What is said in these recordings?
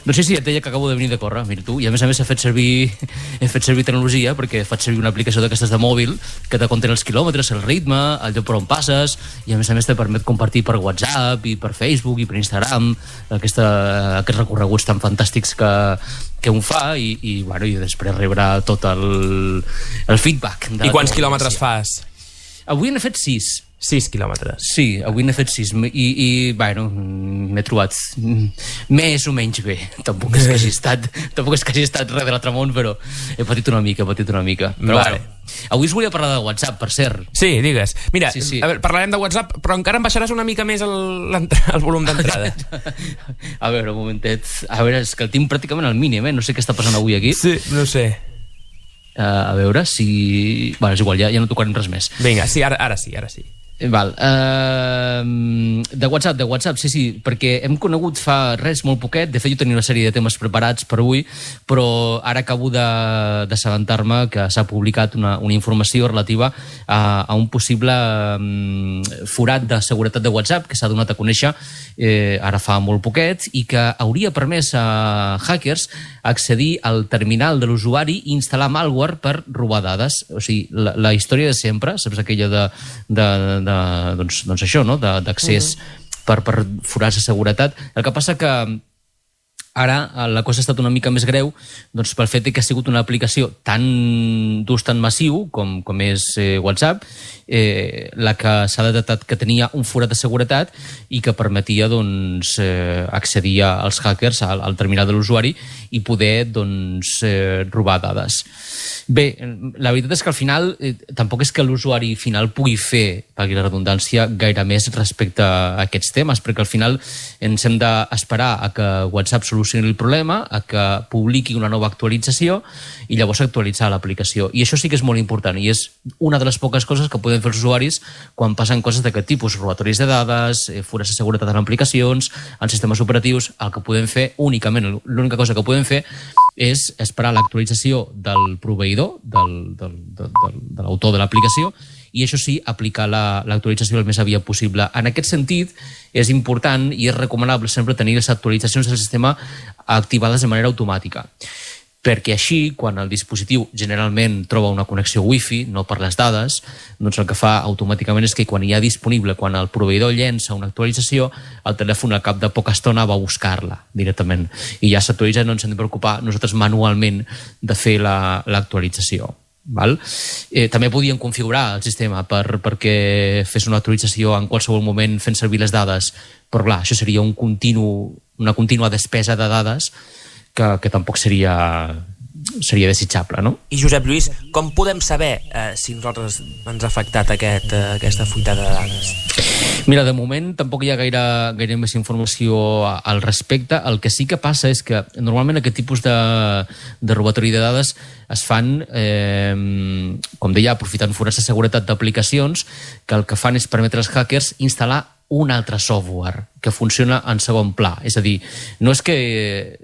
No sé si et deia que acabo de venir de córrer, mira tu, i a més he fet servir tecnologia perquè faig servir una aplicació d'aquestes de mòbil que te contén els quilòmetres, el ritme, el lloc per on passes, i a més te permet compartir per WhatsApp i per Facebook i per Instagram aquests recorreguts tan fantàstics que un fa i després rebrà tot el feedback. I quants quilòmetres fas? Avui n'he fet 6. 6 quilòmetres. Sí, avui n'he fet 6 i m'he trobat més o menys bé. Tampoc és que hagi estat res de l'altre món, però he patit una mica. Però vale. Avui us volia parlar de WhatsApp, per cert. Sí, digues. Mira, sí. A veure, parlarem de WhatsApp, però encara em baixaràs una mica més el volum d'entrada. A veure, un momentet. A veure, és que el tinc pràcticament al mínim, no sé què està passant avui aquí. Sí, no sé. A veure si... Bueno, és igual, ja no tocarem res més. Vinga, sí, ara sí. Val. De WhatsApp, sí, perquè hem conegut fa res molt poquet. De fet, jo tenia una sèrie de temes preparats per avui, però ara acabo d'assabentar-me que s'ha publicat una informació relativa a un possible forat de seguretat de WhatsApp que s'ha donat a conèixer ara fa molt poquet i que hauria permès a hackers accedir al terminal de l'usuari i instal·lar malware per robar dades. O sigui, la història de sempre, saps aquella doncs això, no? D'accés per forats de seguretat. El que passa que ara la cosa ha estat una mica més greu doncs pel fet que ha sigut una aplicació d'ús tan massiu com és WhatsApp, la que s'ha detectat que tenia un forat de seguretat i que permetia doncs, accedir als hackers al terminal de l'usuari i poder doncs, robar dades. Bé, la veritat és que al final tampoc és que l'usuari final pugui fer, per la redundància, gaire més respecte a aquests temes, perquè al final ens hem d'esperar a que WhatsApp solucioni el problema, a que publiqui una nova actualització i llavors actualitzar l'aplicació. I això sí que és molt important i és una de les poques coses que poden fer els usuaris quan passen coses d'aquest tipus, robatoris de dades, forats de seguretat en aplicacions, en sistemes operatius. El que podem fer únicament, l'única cosa que podem fer és esperar l'actualització del proveïdor, de l'autor de l'aplicació, i això sí, aplicar l'actualització el més aviat possible. En aquest sentit, és important i és recomanable sempre tenir les actualitzacions del sistema activades de manera automàtica, perquè així, quan el dispositiu generalment troba una connexió wifi, no per les dades, doncs el que fa automàticament és que quan hi ha disponible, quan el proveïdor llença una actualització, el telèfon al cap de poca estona va a buscar-la directament. I ja s'actualitza, no ens hem de preocupar nosaltres manualment de fer l'actualització. També podíem configurar el sistema perquè fes una actualització en qualsevol moment fent servir les dades, però clar, això seria una contínua despesa de dades que tampoc seria desitjable, no? I Josep Lluís, com podem saber si nosaltres ens ha afectat aquesta fuita de dades? Mira, de moment tampoc hi ha gaire més informació al respecte. El que sí que passa és que normalment aquest tipus de robatori de dades es fan, com deia, aprofitant forats de seguretat d'aplicacions que el que fan és permetre als hackers instal·lar un altre software que funciona en segon pla. És a dir, no és que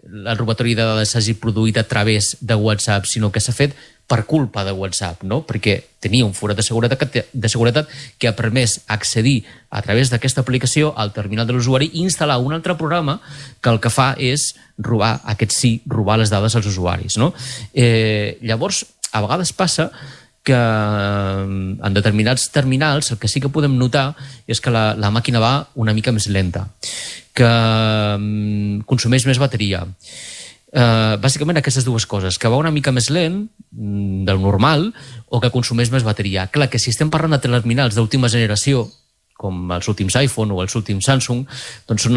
el robatori de dades s'hagi produït a través de WhatsApp, sinó que s'ha fet per culpa de WhatsApp, no? Perquè tenia un forat de seguretat que ha permès accedir a través d'aquesta aplicació al terminal de l'usuari i instal·lar un altre programa que el que fa és robar les dades als usuaris, no? Llavors, a vegades passa que en determinats terminals el que sí que podem notar és que la màquina va una mica més lenta, que consumeix més bateria. Bàsicament aquestes dues coses, que va una mica més lent del normal o que consumeix més bateria. Clar, que si estem parlant de terminals d'última generació, com els últims iPhone o els últims Samsung, doncs són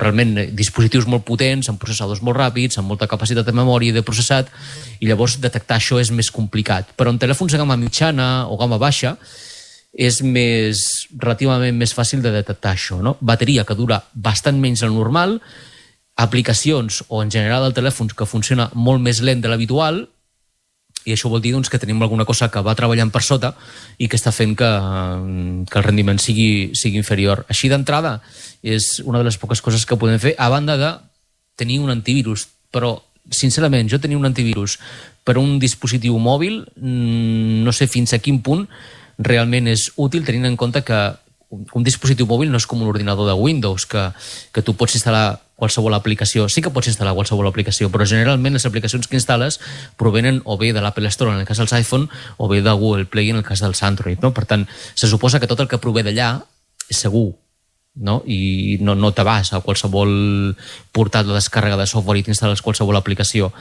realment dispositius molt potents, amb processadors molt ràpids, amb molta capacitat de memòria i de processat, i llavors detectar això és més complicat. Però en telèfons de gamma mitjana o gamma baixa és relativament més fàcil de detectar això, no? Bateria que dura bastant menys del normal, aplicacions o en general el telèfon que funciona molt més lent de l'habitual, i això vol dir doncs, que tenim alguna cosa que va treballant per sota i que està fent que el rendiment sigui inferior. Així d'entrada és una de les poques coses que podem fer, a banda de tenir un antivirus. Però, sincerament, jo tenir un antivirus per un dispositiu mòbil, no sé fins a quin punt realment és útil, tenint en compte que un dispositiu mòbil no és com un ordinador de Windows, que tu pots instal·lar qualsevol aplicació. Sí que pots instal·lar qualsevol aplicació, però generalment les aplicacions que instal·les provenen o bé de l'Apple Store en el cas dels iPhone o bé de Google Play en el cas dels Android, no? Per tant, se suposa que tot el que prové d'allà és segur, no? I no te vas a qualsevol portal de descàrrega de software i t'instal·les qualsevol aplicació.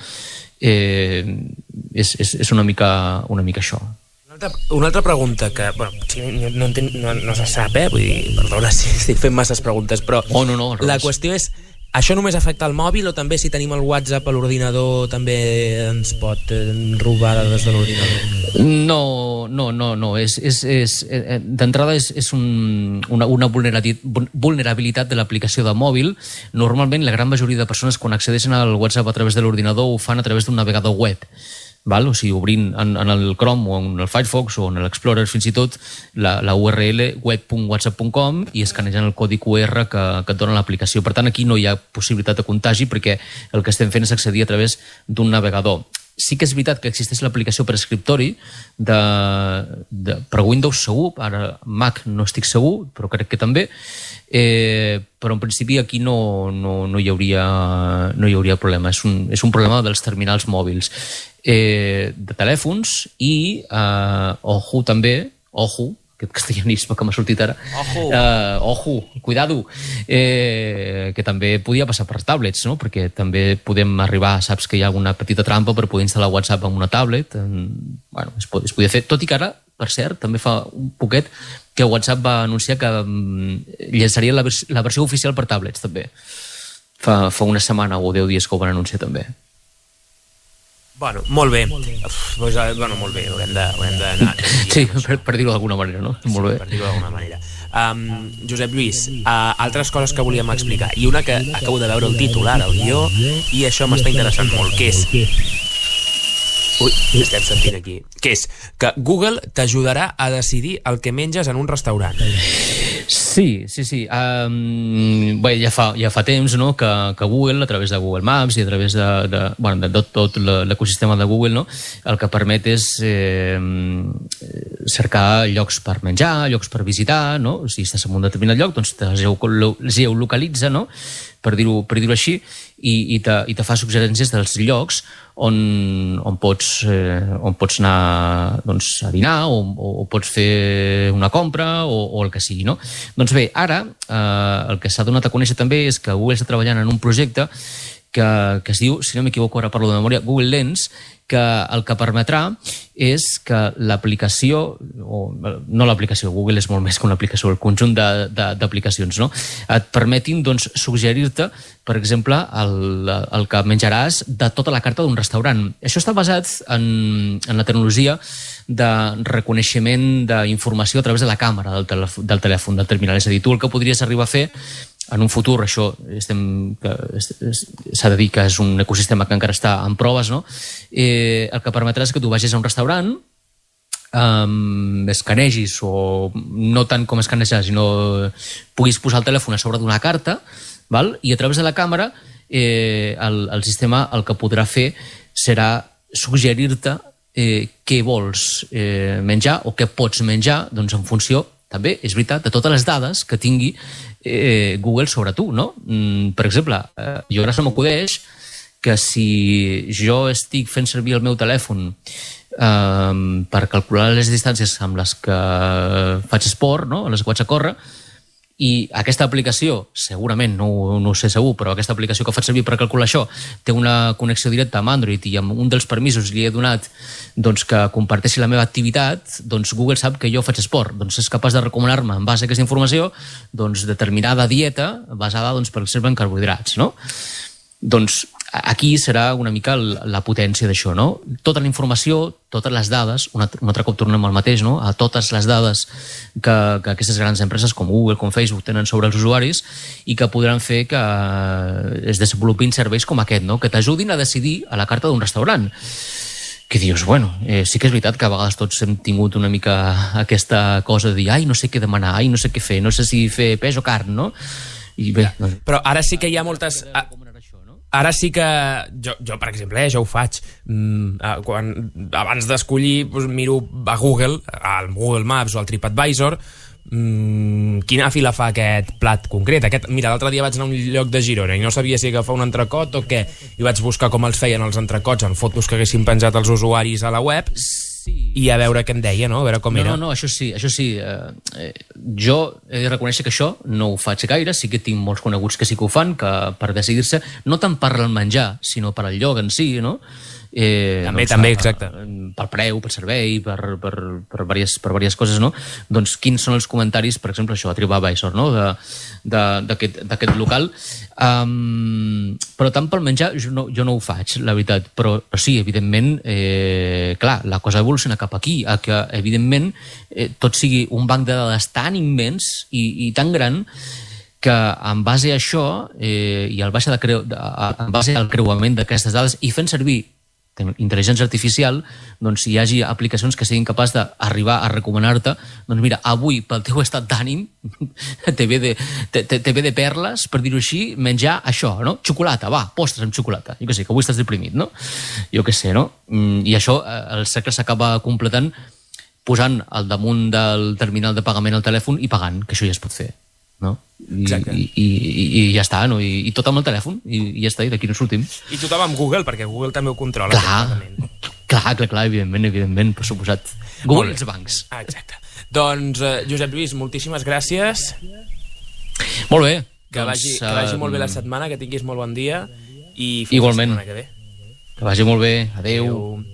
És una mica això. Una altra pregunta que, bueno, no se sap, vull dir, perdona si estic fent masses preguntes, però no, la qüestió és, això només afecta el mòbil o també si tenim el WhatsApp a l'ordinador també ens pot robar dades de l'ordinador? No. D'entrada és una vulnerabilitat de l'aplicació de mòbil. Normalment la gran majoria de persones quan accedeixen al WhatsApp a través de l'ordinador ho fan a través d'un navegador web. Val? O sigui, obrint en el Chrome o en el Firefox o en l'Explorer fins i tot la URL web.whatsapp.com i escanejant el codi QR que et dona l'aplicació. Per tant, aquí no hi ha possibilitat de contagi perquè el que estem fent és accedir a través d'un navegador. Sí que és veritat que existeix l'aplicació per escriptori per Windows segur, ara Mac no estic segur, però crec que també, però en principi aquí no hi hauria problema. És un problema dels terminals mòbils, de telèfons i ojo també, aquest castellanisme que m'ha sortit ara, cuidado, que també podia passar per tablets, no? Perquè també podem arribar, saps que hi ha alguna petita trampa per poder instal·lar WhatsApp en una tablet, bueno, es podia fer, tot i que ara, per cert, també fa un poquet que WhatsApp va anunciar que llançaria la versió oficial per tablets també, fa una setmana o 10 dies que ho van anunciar també. Bueno, molt bé. Molt bé, haurem d'anar. Sí, per dir-ho d'alguna manera, no? Molt bé. Per dir-ho d'alguna manera. Josep Lluís, altres coses que volíem explicar, i una que acabo de veure el títol ara, el guió, i això m'està interessant molt, que és... Ui, estem sentint aquí. Que és que Google t'ajudarà a decidir el que menges en un restaurant. Sí. Bé, ja fa temps, no, que Google, a través de Google Maps i a través de tot l'ecosistema de Google, no, el que permet és cercar llocs per menjar, llocs per visitar, no? Si estàs en un determinat lloc, doncs te geolocalitza, no? Per dir-ho així, i te fa suggerències dels llocs on pots anar, doncs, a dinar o pots fer una compra o el que sigui, no? Doncs bé, ara el que s'ha donat a conèixer també és que Google està treballant en un projecte que es diu, si no m'equivoco, ara parlo de memòria, Google Lens, que el que permetrà és que l'aplicació, no l'aplicació, Google és molt més que una aplicació, el conjunt d'aplicacions, no? Et permetin, doncs, suggerir-te, per exemple, el que menjaràs de tota la carta d'un restaurant. Això està basat en la tecnologia de reconeixement d'informació a través de la càmera del telèfon, del terminal. És a dir, tu el que podries arribar a fer en un futur, això s'ha de dir que és un ecosistema que encara està en proves, no? El que permetrà és que tu vagis a un restaurant, escanegis, o no tant com escanejar, sinó puguis posar el telèfon a sobre d'una carta, val? I a través de la càmera el sistema el que podrà fer serà suggerir-te què vols menjar o què pots menjar, doncs en funció, també, és veritat, de totes les dades que tingui Google sobre tu, no? Per exemple, jo ara se m'acudeix que si jo estic fent servir el meu telèfon per calcular les distàncies amb les que faig esport, no? A les que vaig a córrer, i aquesta aplicació, segurament, no ho sé segur, però aquesta aplicació que faig servir per calcular això té una connexió directa amb Android i amb un dels permisos li he donat doncs, que comparteixi la meva activitat, doncs Google sap que jo faig esport, doncs és capaç de recomanar-me en base a aquesta informació doncs, determinada dieta basada, doncs, per exemple, en carbohidrats, no? Doncs aquí serà una mica la potència d'això, no? Tota la informació, totes les dades, un altre cop tornem al mateix, no? A totes les dades que aquestes grans empreses com Google, com Facebook tenen sobre els usuaris i que podran fer que es desenvolupin serveis com aquest, no? Que t'ajudin a decidir a la carta d'un restaurant. Que dius, bueno, sí que és veritat que a vegades tots hem tingut una mica aquesta cosa de dir, ai, no sé què demanar, ai, no sé què fer, no sé si fer peix o carn, no? I bé, però ara sí que hi ha moltes... Ara sí que jo per exemple, jo ho faig. Abans d'escollir, doncs, miro a Google, al Google Maps o al TripAdvisor, quina fila fa aquest plat concret. Mira, l'altre dia vaig anar a un lloc de Girona i no sabia si agafar un entrecot o què, i vaig buscar com els feien els entrecots en fotos que haguessin penjat els usuaris a la web i a veure què em deia, no? A veure com era. No, això sí. Jo he de reconèixer que això no ho faig gaire, sí que tinc molts coneguts que sí que ho fan, que per decidir-se, no tant per el menjar, sinó per al lloc en si, no? També, exacte. Pel preu, pel servei, per diverses coses, no? Doncs quins són els comentaris, per exemple, això, a TripAdvisor, no? d'aquest local. Però tant pel menjar jo no ho faig, la veritat. Però sí, evidentment, clar, la cosa evoluciona cap aquí, a que, evidentment, tot sigui un banc de dades tan immens i tan gran que en base a això i en base al creuament d'aquestes dades i fent servir intel·ligència artificial, doncs hi hagi aplicacions que siguin capaces d'arribar a recomanar-te, doncs mira, avui pel teu estat d'ànim te ve de perles, per dir-ho així, menjar això, no? Xocolata, va, postres amb xocolata. Jo què sé, que avui estàs deprimit, no? Jo què sé, no? I això, el cercle s'acaba completant posant al damunt del terminal de pagament al telèfon i pagant, que això ja es pot fer, no? I ja està, no? I tot amb el telèfon i ja està, i d'aquí no sortim. I tothom amb Google, perquè Google també ho controla. Clar, evidentment, per suposat. Google i els bancs. Exacte. Doncs, Josep Lluís, moltíssimes gràcies. Molt bé. Que vagi molt bé la setmana, que tinguis molt bon dia i fins igualment. la setmana que ve. Que vagi molt bé. Adéu.